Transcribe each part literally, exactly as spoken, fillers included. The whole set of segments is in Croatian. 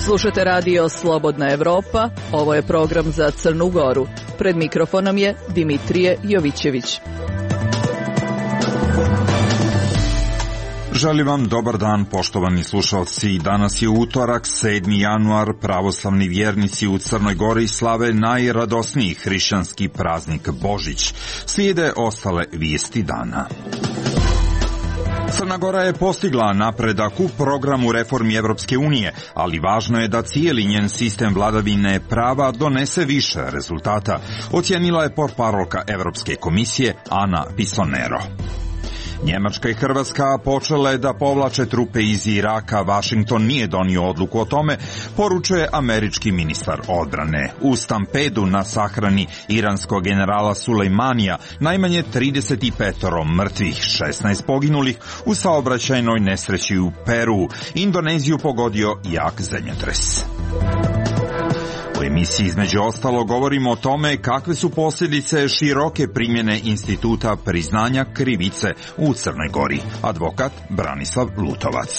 Slušate radio Slobodna Evropa, ovo je program za Crnu Goru. Pred mikrofonom je Dimitrije Jovićević. Želim vam dobar dan, poštovani slušalci. Danas je utorak, sedmi januar, pravoslavni vjernici u Crnoj Gori slave najradosniji hrišćanski praznik Božić. Slijede ostale vijesti dana. Crna Gora je postigla napredak u programu reformi Evropske unije, ali važno je da cijeli njen sistem vladavine prava donese više rezultata, ocijenila je portparolka Evropske komisije Ana Pisonero. Njemačka i Hrvatska počele da povlače trupe iz Iraka, Vašington nije donio odluku o tome, poručuje američki ministar odbrane. U stampedu na sahrani iranskog generala Sulejmanija najmanje trideset pet mrtvih, šesnaest poginulih u saobraćajnoj nesreći u Peru. Indoneziju pogodio jak zemljotres. U emisiji između ostalo govorimo o tome kakve su posljedice široke primjene instituta priznanja krivice u Crnoj Gori. Advokat Branislav Lutovac.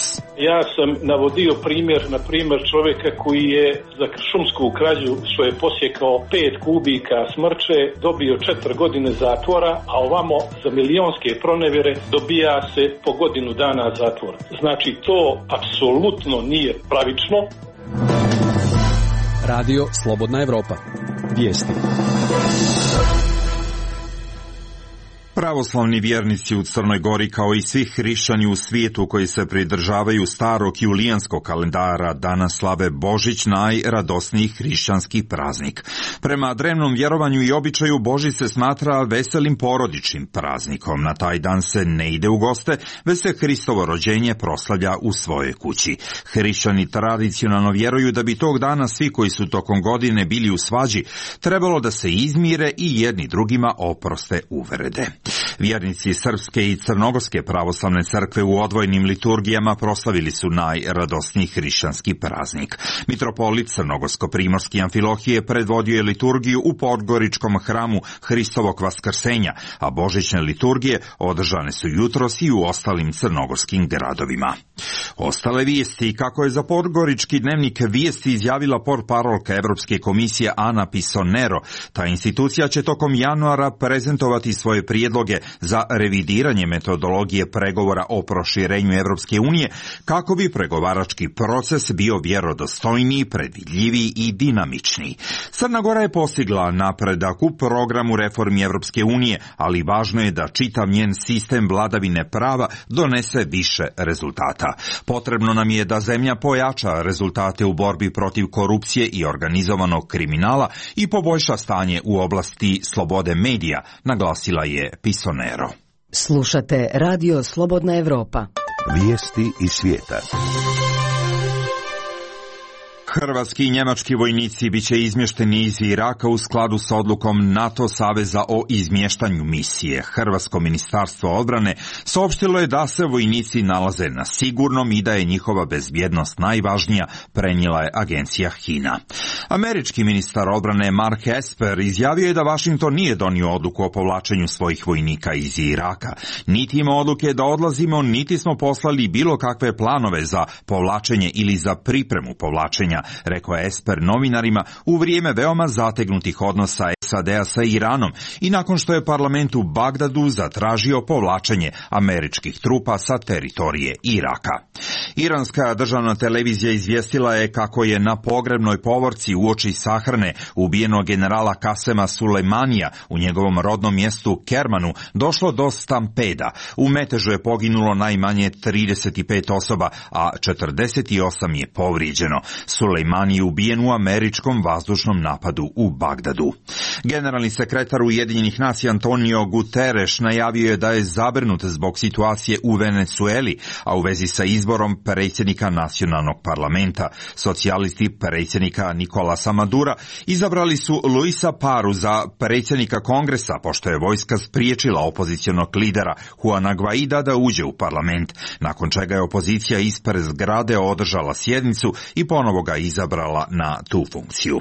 Ja sam navodio primjer, na primjer čovjeka koji je za šumsku krađu što je posjekao pet kubika smrče dobio četiri godine zatvora, a ovamo za milionske pronevjere dobija se po godinu dana zatvora. Znači to apsolutno nije pravično. Radio Slobodna Evropa. Vijesti. Pravoslavni vjernici u Crnoj Gori, kao i svi hrišćani u svijetu koji se pridržavaju starog julijanskog kalendara, danas slave Božić, najradosniji hrišćanski praznik. Prema drevnom vjerovanju i običaju, Božić se smatra veselim porodičnim praznikom. Na taj dan se ne ide u goste, već se Hristovo rođenje proslavlja u svojoj kući. Hrišćani tradicionalno vjeruju da bi tog dana svi koji su tokom godine bili u svađi trebalo da se izmire i jedni drugima oproste uvrede. Vjernici Srpske i Crnogorske pravoslavne crkve u odvojenim liturgijama proslavili su najradosniji hrišćanski praznik. Mitropolit Crnogorsko-primorski Amfilohije predvodio je liturgiju u Podgoričkom hramu Hristovog vaskrsenja, a božićne liturgije održane su jutros i u ostalim crnogorskim gradovima. Ostale vijesti, kako je za Podgorički dnevnik vijesti izjavila portparolka Evropske komisije Ana Pisonero, ta institucija će tokom januara prezentovati svoje prijedloge za revidiranje metodologije pregovora o proširenju Evropske unije, kako bi pregovarački proces bio vjerodostojniji, predvidljiviji i dinamičniji. Crna Gora je postigla napredak u programu reformi Evropske unije, ali važno je da čitav njen sistem vladavine prava donese više rezultata. Potrebno nam je da zemlja pojača rezultate u borbi protiv korupcije i organizovanog kriminala i poboljša stanje u oblasti slobode medija, naglasila je Pisonero. Slušate radio Slobodna Evropa. Vijesti iz svijeta. Hrvatski i njemački vojnici biće izmješteni iz Iraka u skladu sa odlukom NATO saveza o izmještanju misije. Hrvatsko ministarstvo odbrane saopštilo je da se vojnici nalaze na sigurnom i da je njihova bezbjednost najvažnija, prenijela je agencija HINA. Američki ministar odbrane Mark Esper izjavio je da Vašington nije donio odluku o povlačenju svojih vojnika iz Iraka. Niti ima odluke da odlazimo, niti smo poslali bilo kakve planove za povlačenje ili za pripremu povlačenja, rekao je Esper novinarima u vrijeme veoma zategnutih odnosa S A D-a sa Iranom i nakon što je parlament u Bagdadu zatražio povlačenje američkih trupa sa teritorije Iraka. Iranska državna televizija izvijestila je kako je na pogrebnoj povorci uoči sahrane ubijenog generala Kasema Sulejmanija u njegovom rodnom mjestu Kermanu došlo do stampeda. U metežu je poginulo najmanje trideset pet osoba, a četrdeset osam je povrijeđeno. Sulejmani je ubijen u američkom vazdušnom napadu u Bagdadu. Generalni sekretar Ujedinjenih nacija Antonio Guterres najavio je da je zabrinut zbog situacije u Venezueli, a u vezi sa izborom predsjednika nacionalnog parlamenta. Socijalisti predsjednika Nicolasa Madura izabrali su Luisa Paru za predsjednika kongresa, pošto je vojska spriječila opozicionog lidera Juana Guaida da uđe u parlament, nakon čega je opozicija ispred zgrade održala sjednicu i ponovo ga izabrala na tu funkciju.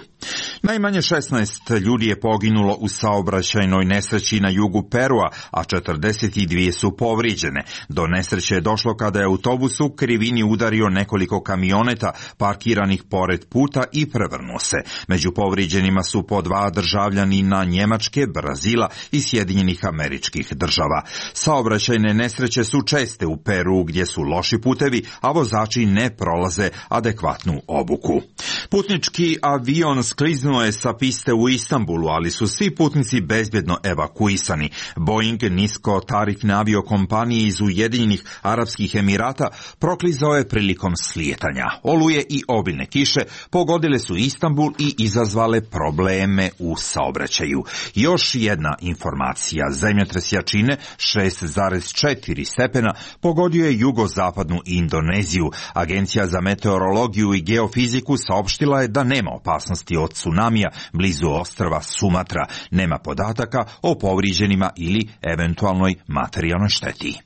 Najmanje šesnaest ljudi je poginulo u saobraćajnoj nesreći na jugu Perua, a četrdeset dvije su povrijeđene. Do nesreće je došlo kada je autobus u krivini udario nekoliko kamioneta parkiranih pored puta i prevrnuo se. Među povrijeđenima su po dva državljanina Njemačke, Brazila i Sjedinjenih Američkih Država. Saobraćajne nesreće su česte u Peru gdje su loši putevi, a vozači ne prolaze adekvatnu obuku. Putnički avion skliznuo je sa piste u Istanbulu, ali su svi putnici bezbjedno evakuisani. Boeing, niskotarifne aviokompanije iz Ujedinjenih Arapskih Emirata, proklizao je prilikom slijetanja. Oluje i obilne kiše pogodile su Istanbul i izazvale probleme u saobraćaju. Još jedna informacija. Zemljotres jačine šest zarez četiri stepena pogodio je jugozapadnu Indoneziju. Agencija za meteorologiju i geofiziku saopštila je da nema opasnosti od tsunamija blizu ostrva Sumatra. Nema podataka o povrijeđenima ili eventualnoj materijalnoj šteti.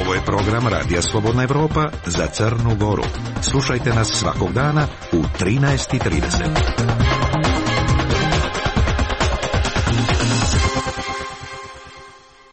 Ovo je program Radija Slobodna Evropa za Crnu Goru. Slušajte nas svakog dana u trinaest i trideset.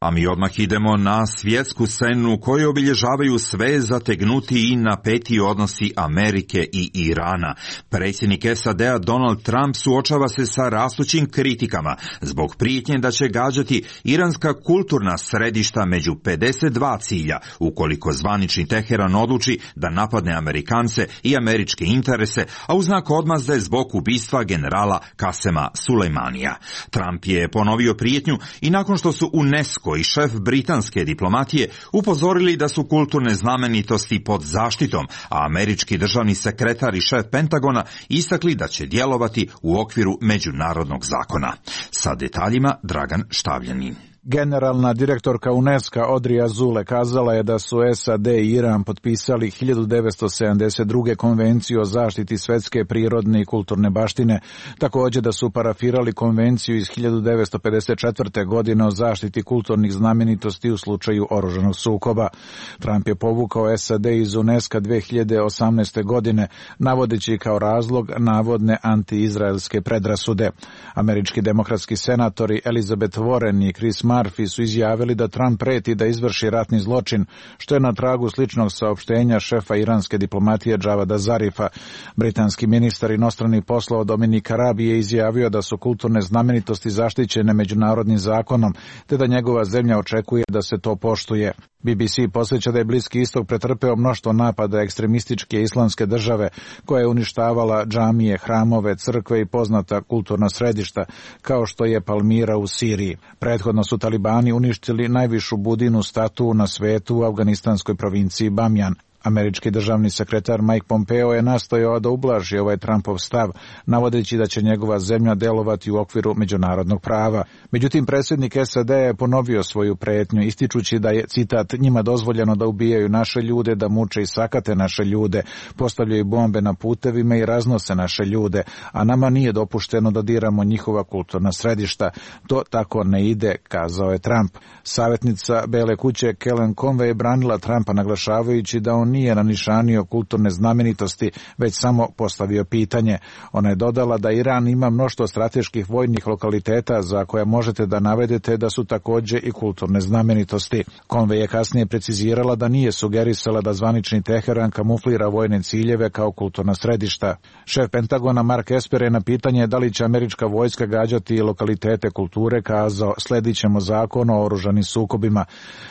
A mi odmah idemo na svjetsku scenu koju obilježavaju sve zategnuti i napeti odnosi Amerike i Irana. Predsjednik S A D-a Donald Trump suočava se sa rastućim kritikama zbog prijetnje da će gađati iranska kulturna središta među pedeset dva cilja ukoliko zvanični Teheran odluči da napadne Amerikance i američke interese, a u znak odmazde zbog ubistva generala Kasema Sulejmanija. Trump je ponovio prijetnju i nakon što su UNESCO i šef britanske diplomatije upozorili da su kulturne znamenitosti pod zaštitom, a američki državni sekretar i šef Pentagona istakli da će djelovati u okviru međunarodnog zakona. Sa detaljima Dragan Štavljanin. Generalna direktorka UNESCO Audrey Azoulay kazala je da su S A D i Iran potpisali hiljadu devetsto sedamdeset druge konvenciju o zaštiti svetske prirodne i kulturne baštine, također da su parafirali konvenciju iz hiljadu devetsto pedeset četvrte. godine o zaštiti kulturnih znamenitosti u slučaju oružanog sukoba. Trump je povukao S A D iz UNESCO dve hiljade osamnaeste. godine, navodeći kao razlog navodne antiizraelske predrasude. Američki demokratski senatori Elizabeth Warren i Chris Murphy su izjavili da Trump preti da izvrši ratni zločin, što je na tragu sličnog saopštenja šefa iranske diplomatije Javada Zarifa. Britanski ministar inostranih poslova Dominik Raab je izjavio da su kulturne znamenitosti zaštićene međunarodnim zakonom, te da njegova zemlja očekuje da se to poštuje. B B C posjeća da je Bliski istok pretrpeo mnoštvo napada ekstremističke islamske države koja je uništavala džamije, hramove, crkve i poznata kulturna središta, kao što je Palmira u Siriji. Prethodno su talibani uništili najvišu budinu statu na svetu u afganistanskoj provinciji Bamjan. Američki državni sekretar Mike Pompeo je nastojao da ublaži ovaj Trumpov stav, navodeći da će njegova zemlja delovati u okviru međunarodnog prava. Međutim, predsjednik S A D je ponovio svoju prijetnju, ističući da je, citat, njima dozvoljeno da ubijaju naše ljude, da muče i sakate naše ljude, postavljaju bombe na putevima i raznose naše ljude, a nama nije dopušteno da diramo njihova kulturna središta. To tako ne ide, kazao je Trump. Savjetnica Bele kuće Kellyanne Conway je branila Trumpa, naglašavajući da on nije nanišanio kulturne znamenitosti, već samo postavio pitanje. Ona je dodala da Iran ima mnoštvo strateških vojnih lokaliteta za koje možete da navedete da su također i kulturne znamenitosti. Conway je kasnije precizirala da nije sugerisala da zvanični Teheran kamuflira vojne ciljeve kao kulturna središta. Šef Pentagona Mark Esper je na pitanje da li će američka vojska gađati lokalitete kulture kazao: sledit ćemo zakon o oružanim sukobima.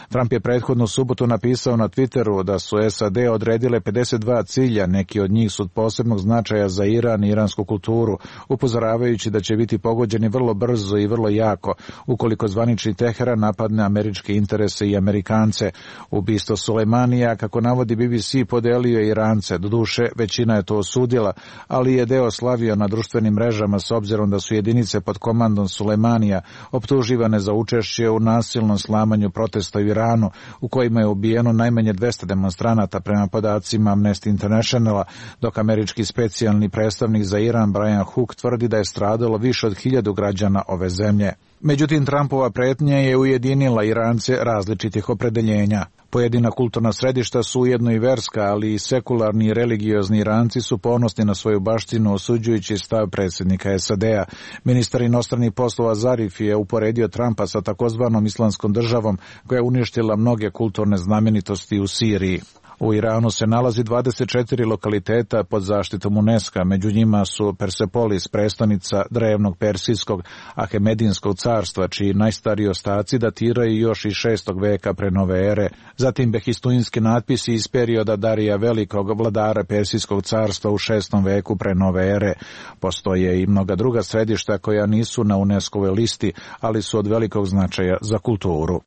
Trump je prethodnu subotu napisao na Twitteru da su S A D odredile pedeset dva cilja, neki od njih su od posebnog značaja za Iran i iransku kulturu, upozoravajući da će biti pogođeni vrlo brzo i vrlo jako ukoliko zvanični Teheran napadne američke interese i Amerikance. Ubistvo Sulejmanija, kako navodi B B C, podelio je Irance. Doduše, većina je to osudila, ali je deo slavio na društvenim mrežama s obzirom da su jedinice pod komandom Sulejmanija optuživane za učešće u nasilnom slamanju protesta u Iranu, u kojima je ubijeno najmanje dvesta demonstranata prema podacima Amnesty Internationala, dok američki specijalni predstavnik za Iran Brian Hook tvrdi da je stradalo više od hiljadu građana ove zemlje. Međutim, Trumpova pretnja je ujedinila Irance različitih opredeljenja. Pojedina kulturna središta su ujedno i verska, ali i sekularni i religiozni Iranci su ponosni na svoju baštinu, osuđujući stav predsjednika S A D-a. Ministar inostranih poslova Zarif je uporedio Trumpa sa takozvanom islamskom državom koja je uništila mnoge kulturne znamenitosti u Siriji. U Iranu se nalazi dvadeset četiri lokaliteta pod zaštitom UNESCO-a, među njima su Persepolis, prestonica drevnog persijskog Ahemedinskog carstva, čiji najstariji ostaci datiraju još iz šestog veka pre nove ere, zatim behistuinski natpisi iz perioda Darija Velikog, vladara Persijskog carstva u šestom veku pre nove ere. Postoje i mnoga druga središta koja nisu na UNESCO-ovoj listi, ali su od velikog značaja za kulturu.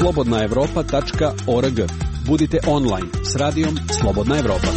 slobodna evropa tačka org. Budite online s radijom Slobodna Evropa.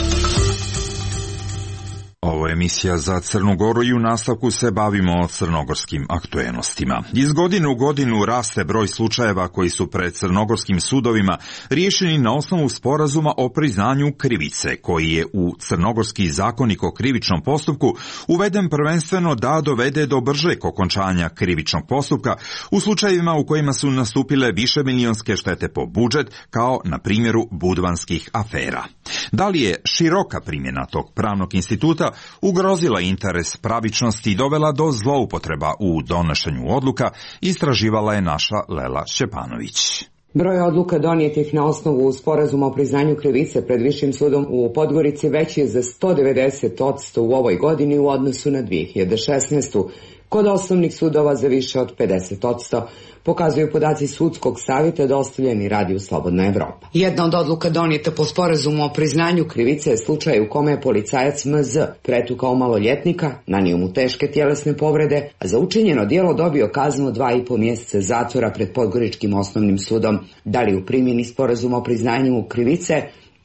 Ovo je emisija za Crnu Goru i u nastavku se bavimo crnogorskim aktuelnostima. Iz godine u godinu raste broj slučajeva koji su pred crnogorskim sudovima riješeni na osnovu sporazuma o priznanju krivice, koji je u crnogorski zakonik o krivičnom postupku uveden prvenstveno da dovede do bržeg okončanja krivičnog postupka u slučajevima u kojima su nastupile višemilionske štete po budžet, kao na primjeru budvanskih afera. Da li je široka primjena tog pravnog instituta ugrozila interes pravičnosti i dovela do zloupotreba u donošenju odluka, istraživala je naša Lela Šćepanović. Broj odluka donijetih na osnovu sporazuma o priznanju krivice pred Višim sudom u Podgorici veći je za sto devedeset posto u ovoj godini u odnosu na dvije hiljade šesnaestu. Kod osnovnih sudova za više od pedeset posto, pokazuju podaci sudskog savjeta dostavljeni radiju Slobodna Evropa. Jedna od odluka donijeta po sporazumu o priznanju krivice je slučaj u kome je policajac M Z pretukao maloljetnika, nanio mu teške tjelesne povrede, a za učinjeno djelo dobio kaznu dva i po mjeseca zatvora pred Podgoričkim osnovnim sudom. Da li u primjeni sporazuma o priznanju krivice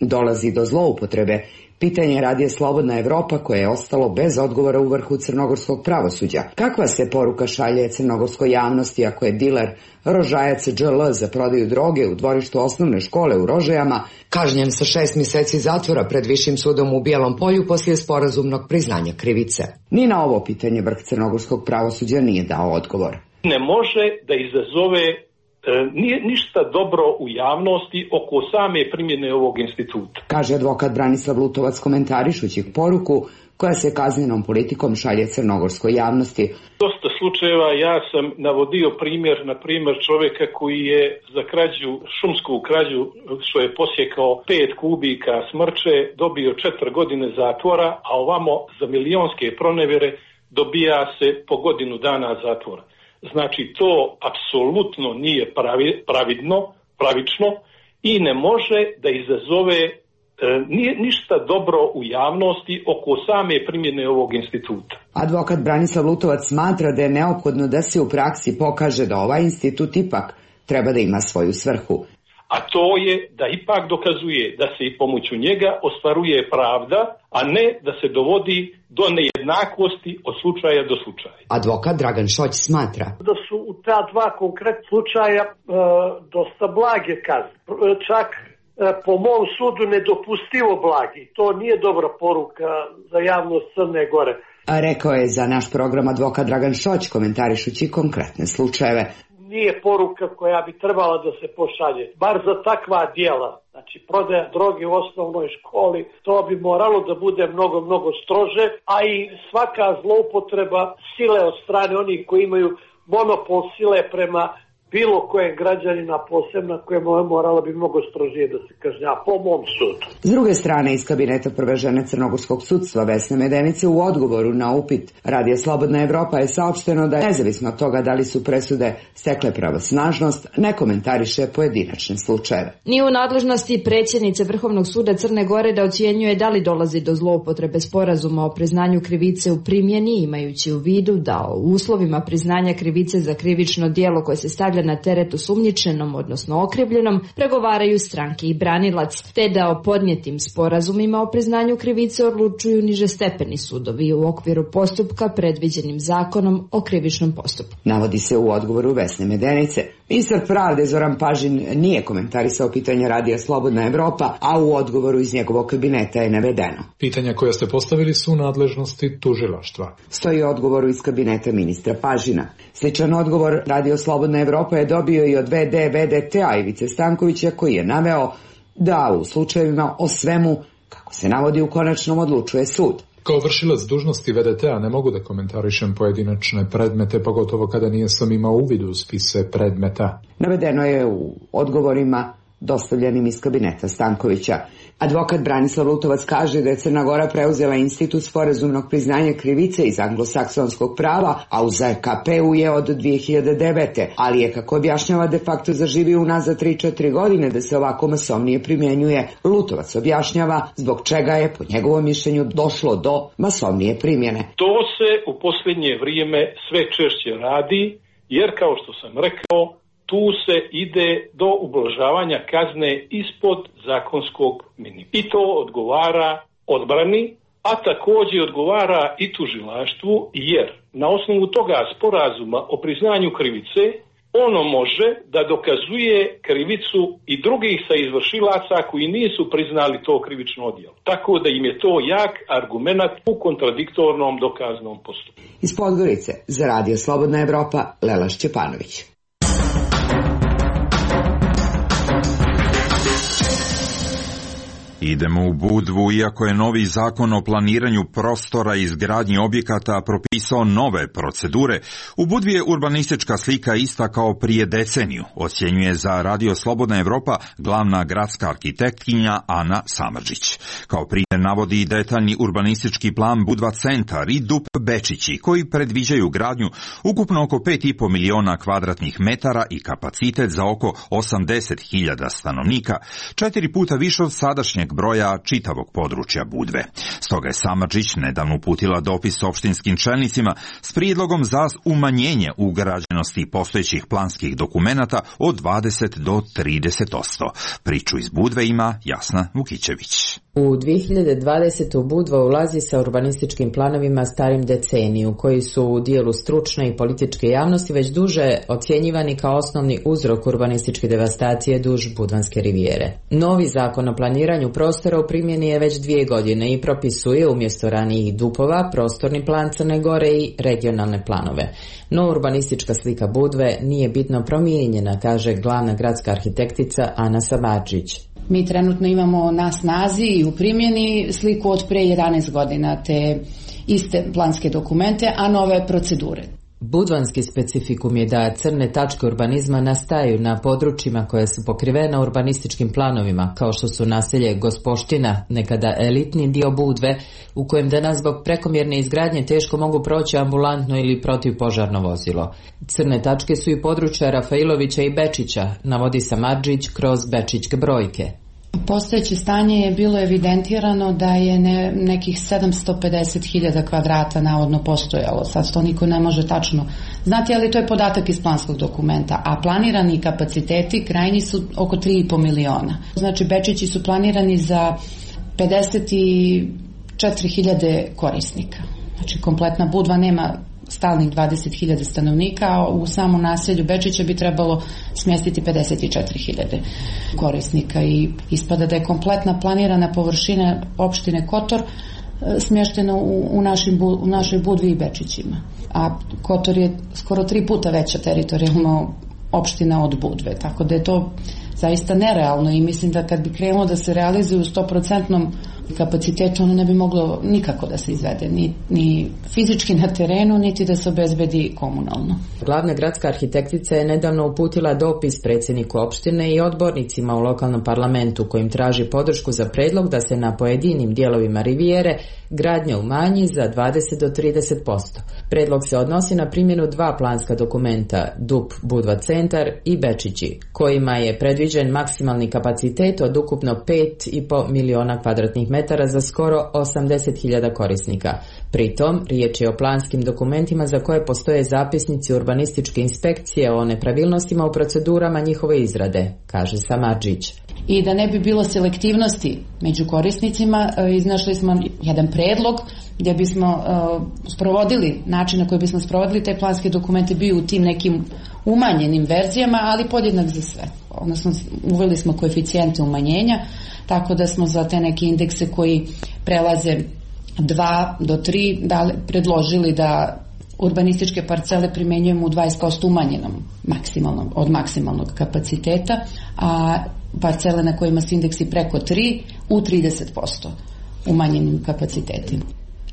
dolazi do zloupotrebe? Pitanje radije Slobodna Evropa koje je ostalo bez odgovora u vrhu crnogorskog pravosuđa. Kakva se poruka šalje crnogorskoj javnosti ako je diler Rožajac Đ L za prodaju droge u dvorištu osnovne škole u Rožajama kažnjen sa šest mjeseci zatvora pred Višim sudom u Bijelom Polju poslije sporazumnog priznanja krivice? Ni na ovo pitanje vrh crnogorskog pravosuđa nije dao odgovor. Ne može da izazove nije ništa dobro u javnosti oko same primjene ovog instituta, kaže advokat Branislav Lutovac komentarišući poruku koja se kaznenom politikom šalje crnogorskoj javnosti. Dosta slučajeva ja sam navodio primjer, na primjer čovjeka koji je za krađu, šumsku krađu, što je posjekao pet kubika smrče, dobio četiri godine zatvora, a ovamo za milionske pronevjere dobija se po godinu dana zatvora. Znači to apsolutno nije pravi, pravidno, pravično i ne može da izazove e, nije ništa dobro u javnosti oko same primjene ovog instituta. Advokat Branislav Lutovac smatra da je neophodno da se u praksi pokaže da ovaj institut ipak treba da ima svoju svrhu. A to je da ipak dokazuje da se i pomoću njega ostvaruje pravda, a ne da se dovodi do nejednakosti od slučaja do slučaja. Advokat Dragan Šoć smatra da su u ta dva konkretna slučaja e, dosta blage kazne. Čak e, po mom sudu nedopustivo blagi. To nije dobra poruka za javnost Crne Gore. A rekao je za naš program advokat Dragan Šoć komentarišući konkretne slučajeve. Nije poruka koja bi trebala da se pošalje. Bar za takva djela, znači prodaja droge u osnovnoj školi, to bi moralo da bude mnogo, mnogo strože, a i svaka zloupotreba sile od strane onih koji imaju monopol sile prema bilo kojem građanina posebno koje moralo bi mnogo strožije da se kažnja po mom sudu. S druge strane, iz kabineta prve žene crnogorskog sudstva Vesne Medenice u odgovoru na upit Radija Slobodna Evropa je saopšteno da je nezavisno od toga da li su presude stekle pravosnažnost, ne komentariše pojedinačne slučajeve. Nije u nadležnosti predsjednice Vrhovnog suda Crne Gore da ocjenjuje da li dolazi do zloupotrebe sporazuma o priznanju krivice u primjeni, imajući u vidu da o uslovima priznanja krivice za krivično djelo koje se stavlja na teret osumnjičenom, odnosno okrivljenom, pregovaraju stranke i branilac, te da o podnijetim sporazumima o priznanju krivice odlučuju nižestepeni sudovi u okviru postupka predviđenim zakonom o krivičnom postupku. Navodi se u odgovoru Vesne Medenice. Ministar pravde Zoran Pažin nije komentarisao pitanja Radija Slobodna Evropa, a u odgovoru iz njegovog kabineta je navedeno. Pitanja koja ste postavili su u nadležnosti tužilaštva. Stoji odgovoru iz kabineta ministra Pažina. Sličan odgovor Radio Slobodna Evropa je dobio i od ve de ve de te-a Ivice Stankovića, koji je naveo da u slučajevima o svemu, kako se navodi, u konačnom odlučuje sud. Kao vršilac dužnosti ve de te-a ne mogu da komentarišem pojedinačne predmete, pogotovo kada nisam imao uvid u spise predmeta. Navedeno je u odgovorima dostavljenim iz kabineta Stankovića. Advokat Branislav Lutovac kaže da je Crna Gora preuzela institut sporazumnog priznanja krivice iz anglosaksonskog prava, a u ze ka pe u je od dvije hiljade devete. Ali je, kako objašnjava, de facto zaživio unazad tri četiri godine da se ovako masovnije primjenjuje. Lutovac objašnjava zbog čega je, po njegovom mišljenju, došlo do masovnije primjene. To se u posljednje vrijeme sve češće radi, jer kao što sam rekao, tu se ide do ublažavanja kazne ispod zakonskog minimuma. I to odgovara odbrani, a također odgovara i tužilaštvu, jer na osnovu toga sporazuma o priznanju krivice ono može da dokazuje krivicu i drugih sa izvršilaca koji nisu priznali to krivično djelo. Tako da im je to jak argument u kontradiktornom dokaznom postupku. Iz Podgorice za Radio Slobodna Evropa, Lela Šćepanović. Idemo u Budvu, iako je novi zakon o planiranju prostora i izgradnji objekata propisao nove procedure. U Budvi je urbanistička slika ista kao prije deceniju, ocjenjuje za Radio Slobodna Evropa glavna gradska arhitektkinja Ana Samardžić. Kao primjer navodi detaljni urbanistički plan Budva centar i D U P Bečići, koji predviđaju gradnju ukupno oko pet i po miliona kvadratnih metara i kapacitet za oko osamdeset hiljada stanovnika, četiri puta više od sadašnjeg broja čitavog područja Budve. Stoga je Samardžić nedavno uputila dopis opštinskim čelnicima s prijedlogom za umanjenje ugrađenosti postojećih planskih dokumenata od dvadeset do trideset posto. Priču iz Budve ima Jasna Vukićević. U dvije hiljade dvadesete. Budva ulazi sa urbanističkim planovima starim deceniju, koji su u dijelu stručne i političke javnosti već duže ocjenjivani kao osnovni uzrok urbanističke devastacije duž Budvanske rivijere. Novi zakon o planiranju prostora u primjeni je već dvije godine i propisuje umjesto ranijih D U P-ova prostorni plan Crne Gore i regionalne planove. No urbanistička slika Budve nije bitno promijenjena, kaže glavna gradska arhitektica Ana Samardžić. Mi trenutno imamo na snazi i u primjeni sliku od pre jedanaest godina, te iste planske dokumente, a nove procedure. Budvanski specifikum je da crne tačke urbanizma nastaju na područjima koje su pokrivena urbanističkim planovima, kao što su naselje Gospoština, nekada elitni dio Budve, u kojem danas zbog prekomjerne izgradnje teško mogu proći ambulantno ili protivpožarno vozilo. Crne tačke su i područja Rafailovića i Bečića, navodi Samardžić kroz bečićke brojke. Postojeće stanje je bilo evidentirano da je ne, nekih sedamsto pedeset hiljada kvadrata navodno postojalo. Sad to niko ne može tačno znati, ali to je podatak iz planskog dokumenta. A planirani kapaciteti krajnji su oko tri i po miliona. Znači Bečići su planirani za pedeset četiri hiljade korisnika. Znači kompletna Budva nema stalnih dvadeset hiljada stanovnika, a u samom naselju Bečića bi trebalo smjestiti pedeset četiri hiljade korisnika i ispada da je kompletna planirana površina opštine Kotor smještena u, u, našim, u našoj Budvi i Bečićima. A Kotor je skoro tri puta veća teritorijalno opština od Budve, tako da je to zaista nerealno i mislim da kad bi krenulo da se realizuje u sto posto kapacitetu, ono ne bi moglo nikako da se izvede, ni, ni fizički na terenu, niti da se obezbedi komunalno. Glavna gradska arhitektica je nedavno uputila dopis predsjedniku opštine i odbornicima u lokalnom parlamentu, kojim traži podršku za predlog da se na pojedinim dijelovima rivijere gradnja umanji za dvadeset do trideset posto. Predlog se odnosi na primjenu dva planska dokumenta, D U P Budva centar i Bečići, kojima je predviđen maksimalni kapacitet od ukupno pet i po miliona kvadratnih metara za skoro osamdeset hiljada korisnika. Pritom, riječ je o planskim dokumentima za koje postoje zapisnici urbanističke inspekcije o nepravilnostima u procedurama njihove izrade, kaže Samardžić. I da ne bi bilo selektivnosti među korisnicima, iznašli smo jedan predlog gdje bismo uh, sprovodili, način na koji bismo sprovodili te planske dokumente bio u tim nekim umanjenim verzijama, ali podjednak za sve. Odnosno, uveli smo koeficijente umanjenja, tako da smo za te neke indekse koji prelaze dva do tri da, predložili da urbanističke parcele primenjujemo u dvadeset posto umanjenom maksimalnom, od maksimalnog kapaciteta, a parcele na kojima su indeksi preko tri u trideset posto umanjenim kapacitetima.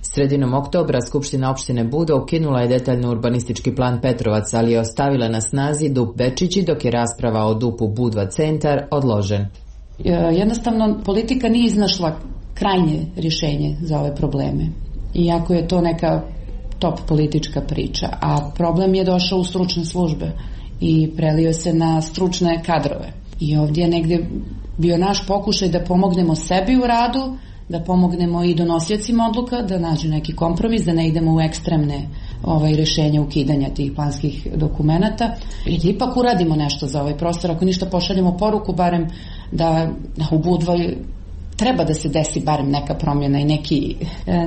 Sredinom oktobra Skupština opštine Buda ukinula je detaljno urbanistički plan Petrovac, ali je ostavila na snazi D U P Bečići, dok je rasprava o D U P-u Budva centar odložen. Jednostavno, politika nije iznašla krajnje rješenje za ove probleme. Iako je to neka top politička priča, a problem je došao u stručne službe i prelio se na stručne kadrove. I ovdje je negdje bio naš pokušaj da pomognemo sebi u radu, da pomognemo i donosiocima odluka, da nađu neki kompromis, da ne idemo u ekstremne ovaj, rješenja ukidanja tih planskih dokumenata i da ipak uradimo nešto za ovaj prostor. Ako ništa, pošaljemo poruku barem da, da u Budvoj treba da se desi barem neka promjena i neki,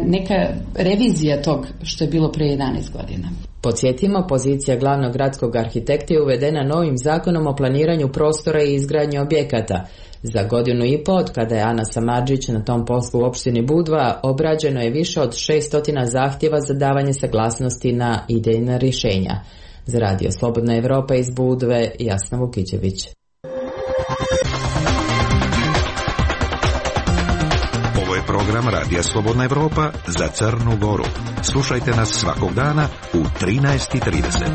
neka revizija tog što je bilo pre jedanaest godina. Podsjetimo, pozicija glavnog gradskog arhitekta je uvedena novim zakonom o planiranju prostora i izgradnji objekata. Za godinu i pol, kada je Ana Samardžić na tom poslu u opštini Budva, obrađeno je više od šesnaest zahtjeva za davanje saglasnosti na idejna rješenja. Za Radio Slobodna Evropa iz Budve, Jasna Vukićević. Ovo je program Radija Slobodna Evropa za Crnu Goru. Slušajte nas svakog dana u trinaest i trideset.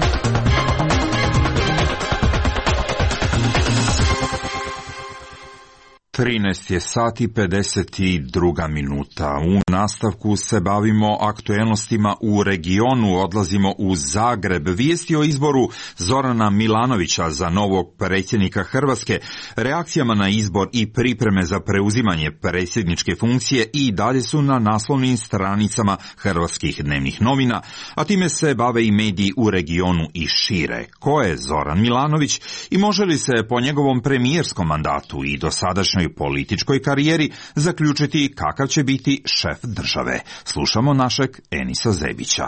trinaest je sati pedeset dva minuta. U nastavku se bavimo aktuelnostima u regionu, odlazimo u Zagreb. Vijesti o izboru Zorana Milanovića za novog predsjednika Hrvatske, reakcijama na izbor i pripreme za preuzimanje predsjedničke funkcije i dalje su na naslovnim stranicama hrvatskih dnevnih novina, a time se bave i mediji u regionu i šire. Ko je Zoran Milanović i može li se po njegovom premijerskom mandatu i dosadašnjoj političkoj karijeri zaključiti kakav će biti šef države? Slušamo našeg Enisa Zebića.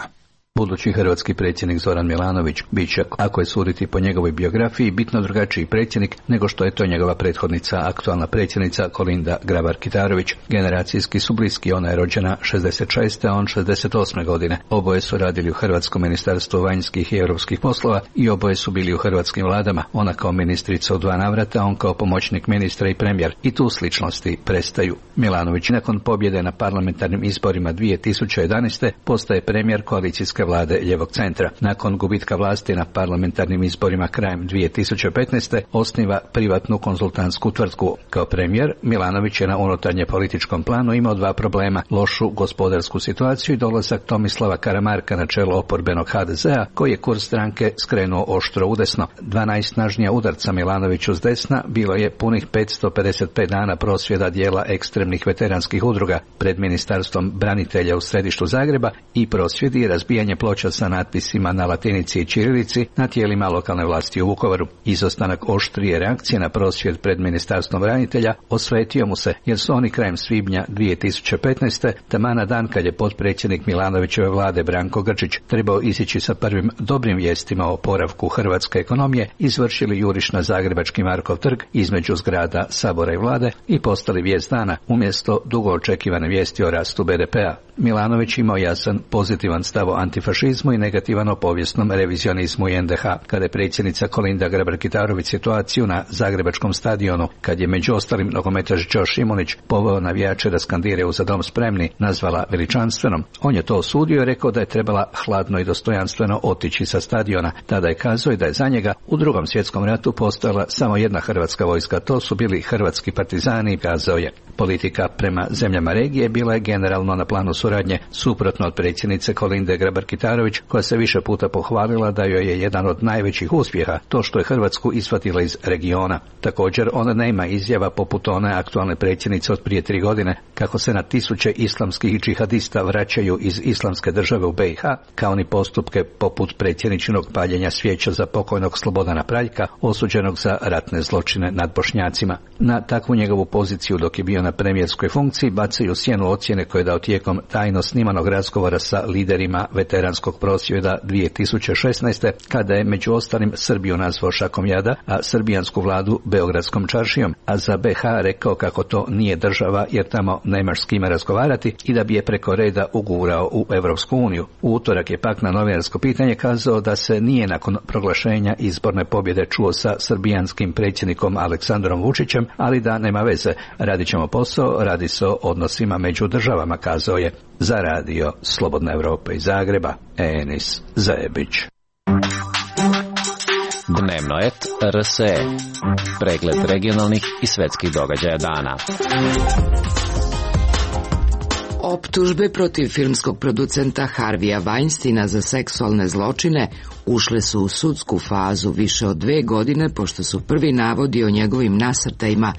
Budući hrvatski predsjednik Zoran Milanović bit će, ako je suditi po njegovoj biografiji, bitno drugačiji predsjednik nego što je to njegova prethodnica, aktualna predsjednica Kolinda Grabar-Kitarović. Generacijski su bliski, ona je rođena šezdeset šeste. a on šezdeset osme. godine. Oboje su radili u Hrvatskom ministarstvu vanjskih i europskih poslova i oboje su bili u hrvatskim vladama. Ona kao ministrica u dva navrata, on kao pomoćnik ministra i premijer. I tu sličnosti prestaju. Milanović nakon pobjede na parlamentarnim izborima dvije tisuće jedanaeste. postaje premijer koalicijske vlade ljevog centra. Nakon gubitka vlasti na parlamentarnim izborima krajem dvije tisuće petnaeste. osniva privatnu konzultantsku tvrtku. Kao premijer, Milanović je na unutarnje političkom planu imao dva problema: lošu gospodarsku situaciju i dolazak Tomislava Karamarka na čelo oporbenog ha de zea, koji je kurs stranke skrenuo oštro udesno. Dva najsnažnija udarca Milanoviću s desna bilo je punih petsto pedeset pet dana prosvjeda dijela ekstremnih veteranskih udruga pred Ministarstvom branitelja u središtu Zagreba i prosvjedi i razbijanje ploča sa natpisima na latinici i ćirilici na tijelima lokalne vlasti u Vukovaru. Izostanak oštrije reakcije na prosvjed pred Ministarstvom branitelja osvetio mu se, jer su oni krajem svibnja dvije tisuće petnaeste. taman na dan kad je potpredsjednik Milanovićeve vlade Branko Grčić trebao izići sa prvim dobrim vijestima o oporavku hrvatske ekonomije, izvršili juriš na zagrebački Markov trg između zgrada Sabora i vlade i postali vijest dana umjesto dugo očekivane vijesti o rastu be de pea. Milanović imao jasan pozitivan stav o antifašizmu i negativan o povijesnom revizionizmu i en de ha. Kada je predsjednica Kolinda Grabar-Kitarović situaciju na zagrebačkom stadionu, kad je među ostalim nogometaš Đo Šimunić poveo navijače da skandiraju za dom spremni, nazvala veličanstvenom, on je to osudio i rekao da je trebala hladno i dostojanstveno otići sa stadiona. Tada je kazao da je za njega u drugom svjetskom ratu postojala samo jedna hrvatska vojska, to su bili hrvatski partizani, kazao je. Politika prema zemljama regije bila je generalno na planu suradnje, suprotno od predsjednice Kolinde Grabar-Kitarović, koja se više puta pohvalila da joj je jedan od najvećih uspjeha to što je Hrvatsku isvatila iz regiona. Također, ona nema izjava poput one aktualne predsjednice od prije tri godine, kako se na tisuće islamskih džihadista vraćaju iz islamske države u be i ha, kao ni postupke poput predsjedničinog paljenja svijeća za pokojnog Slobodana Praljka, osuđenog za ratne zločine nad Bošnjacima. Na takvu njegovu poziciju dok je bio na premijerskoj funkciji bacaju sjenu ocjene koje je dao tijekom tajno snimanog razgovora sa liderima veterana toleranskog prosvjeda dvije tisuće šesnaeste. kada je među ostalim Srbiju nazvao šakom jada, a srbijansku vladu beogradskom čaršijom, a za be ha rekao kako to nije država jer tamo nemaš s kime razgovarati i da bi je preko reda ugurao u Evropsku uniju. U utorak je pak na novinarsko pitanje kazao da se nije nakon proglašenja izborne pobjede čuo sa srbijanskim predsjednikom Aleksandrom Vučićem, ali da nema veze. Radit ćemo posao, radi se o odnosima među državama, kazao je. Za radio Slobodna Evropa iz Zagreba, Enis Zajebić. Dnevno et er es e. Pregled regionalnih i svetskih događaja dana. Optužbe protiv filmskog producenta Harvija Weinsteina za seksualne zločine ušle su u sudsku fazu više od dve godine pošto su prvi navodi o njegovim nasrtajima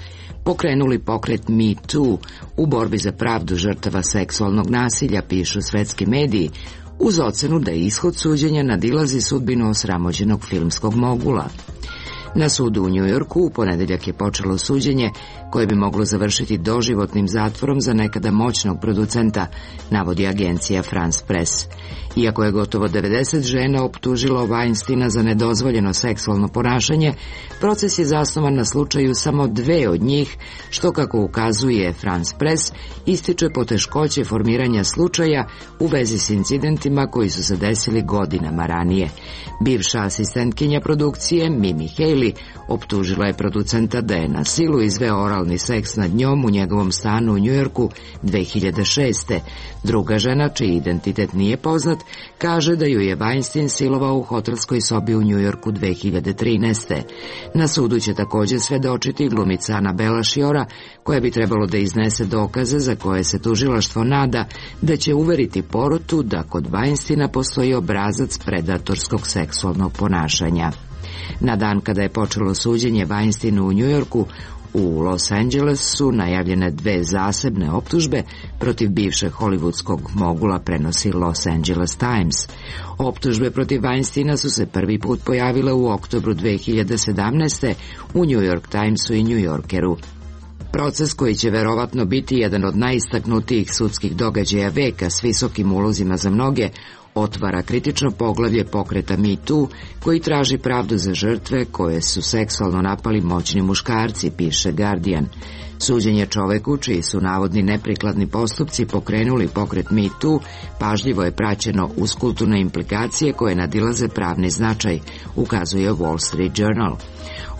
pokrenuli pokret Me Too u borbi za pravdu žrtava seksualnog nasilja, pišu svetski mediji, uz ocenu da je ishod suđenja nadilazi sudbinu osramođenog filmskog mogula. Na sudu u Njujorku u ponedeljak je počelo suđenje koje bi moglo završiti doživotnim zatvorom za nekada moćnog producenta, navodi agencija France Press. Iako je gotovo devedeset žena optužilo Weinsteina za nedozvoljeno seksualno ponašanje, proces je zasnovan na slučaju samo dve od njih, što, kako ukazuje France Press, ističe poteškoće formiranja slučaja u vezi s incidentima koji su se desili godinama ranije. Bivša asistentkinja produkcije Mimi Haley optužila je producenta da je na silu izveo oralni seks nad njom u njegovom stanu u Njujorku dve hiljade šeste. Druga žena, čiji identitet nije poznat, kaže da ju je Weinstein silovao u hotelskoj sobi u Njujorku dve hiljade trinaeste. Na sudu će također svedočiti glumica Anabela Šiora, koja bi trebalo da iznese dokaze za koje se tužilaštvo nada da će uveriti porotu da kod Weinsteina postoji obrazac predatorskog seksualnog ponašanja. Na dan kada je počelo suđenje Weinsteinu u Njujorku, u Los Angeles su najavljene dve zasebne optužbe protiv bivšeg hollywoodskog mogula, prenosi Los Angeles Times. Optužbe protiv Weinsteina su se prvi put pojavile u oktobru dve hiljade sedamnaeste. u New York Timesu i New Yorkeru. Proces, koji će verovatno biti jedan od najistaknutijih sudskih događaja veka s visokim ulozima za mnoge, otvara kritično poglavlje pokreta Me Too, koji traži pravdu za žrtve koje su seksualno napali moćni muškarci, piše Guardian. Suđenje čoveku, čiji su navodni neprikladni postupci pokrenuli pokret Me Too, pažljivo je praćeno uz kulturne implikacije koje nadilaze pravni značaj, ukazuje Wall Street Journal.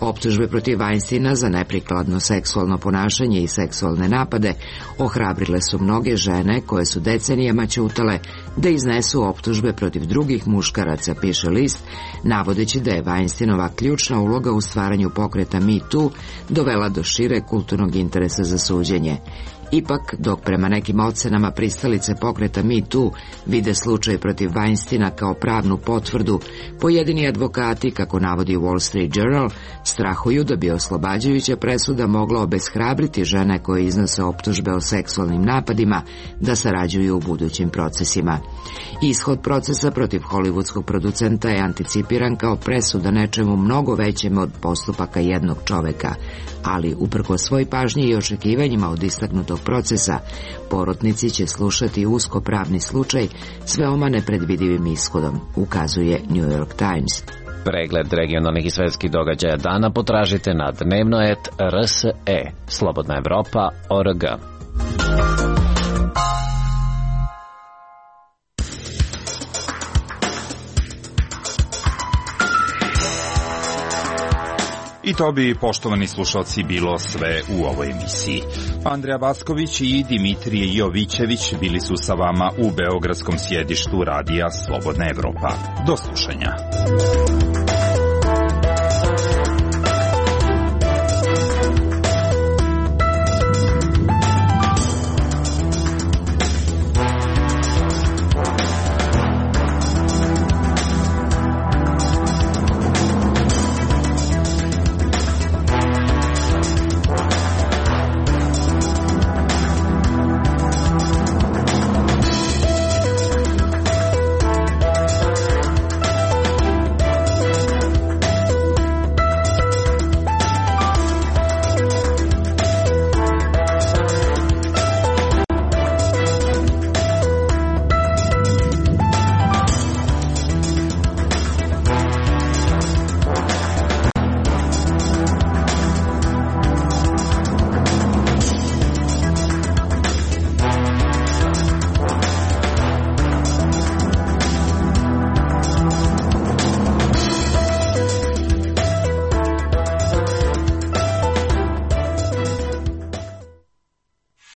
Optužbe protiv Weinsteina za neprikladno seksualno ponašanje i seksualne napade ohrabrile su mnoge žene koje su decenijama ćutale da iznesu optužbe protiv drugih muškaraca, piše list, navodeći da je Weinsteinova ključna uloga u stvaranju pokreta Me Too dovela do šire kulturnog interesa za suđenje. Ipak, dok prema nekim ocenama pristalice pokreta Me Too vide slučaj protiv Weinsteina kao pravnu potvrdu, pojedini advokati, kako navodi Wall Street Journal, strahuju da bi oslobađajuća presuda mogla obeshrabriti žene koje iznose optužbe o seksualnim napadima da sarađuju u budućim procesima. Ishod procesa protiv hollywoodskog producenta je anticipiran kao presuda nečemu mnogo većem od postupaka jednog čoveka, ali uprkos svoj pažnji i očekivanjima od istaknutog procesa, porotnici će slušati usko pravni slučaj s veoma nepredvidivim ishodom, ukazuje New York Times. Pregled regionalnih i svetskih događaja dana potražite na dnevno et er es e. Slobodna Evropa, org. I to bi, poštovani slušalci, bilo sve u ovoj emisiji. Andreja Vasković i Dimitrije Jovićević bili su sa vama u beogradskom sjedištu radija Slobodna Evropa. Do slušanja.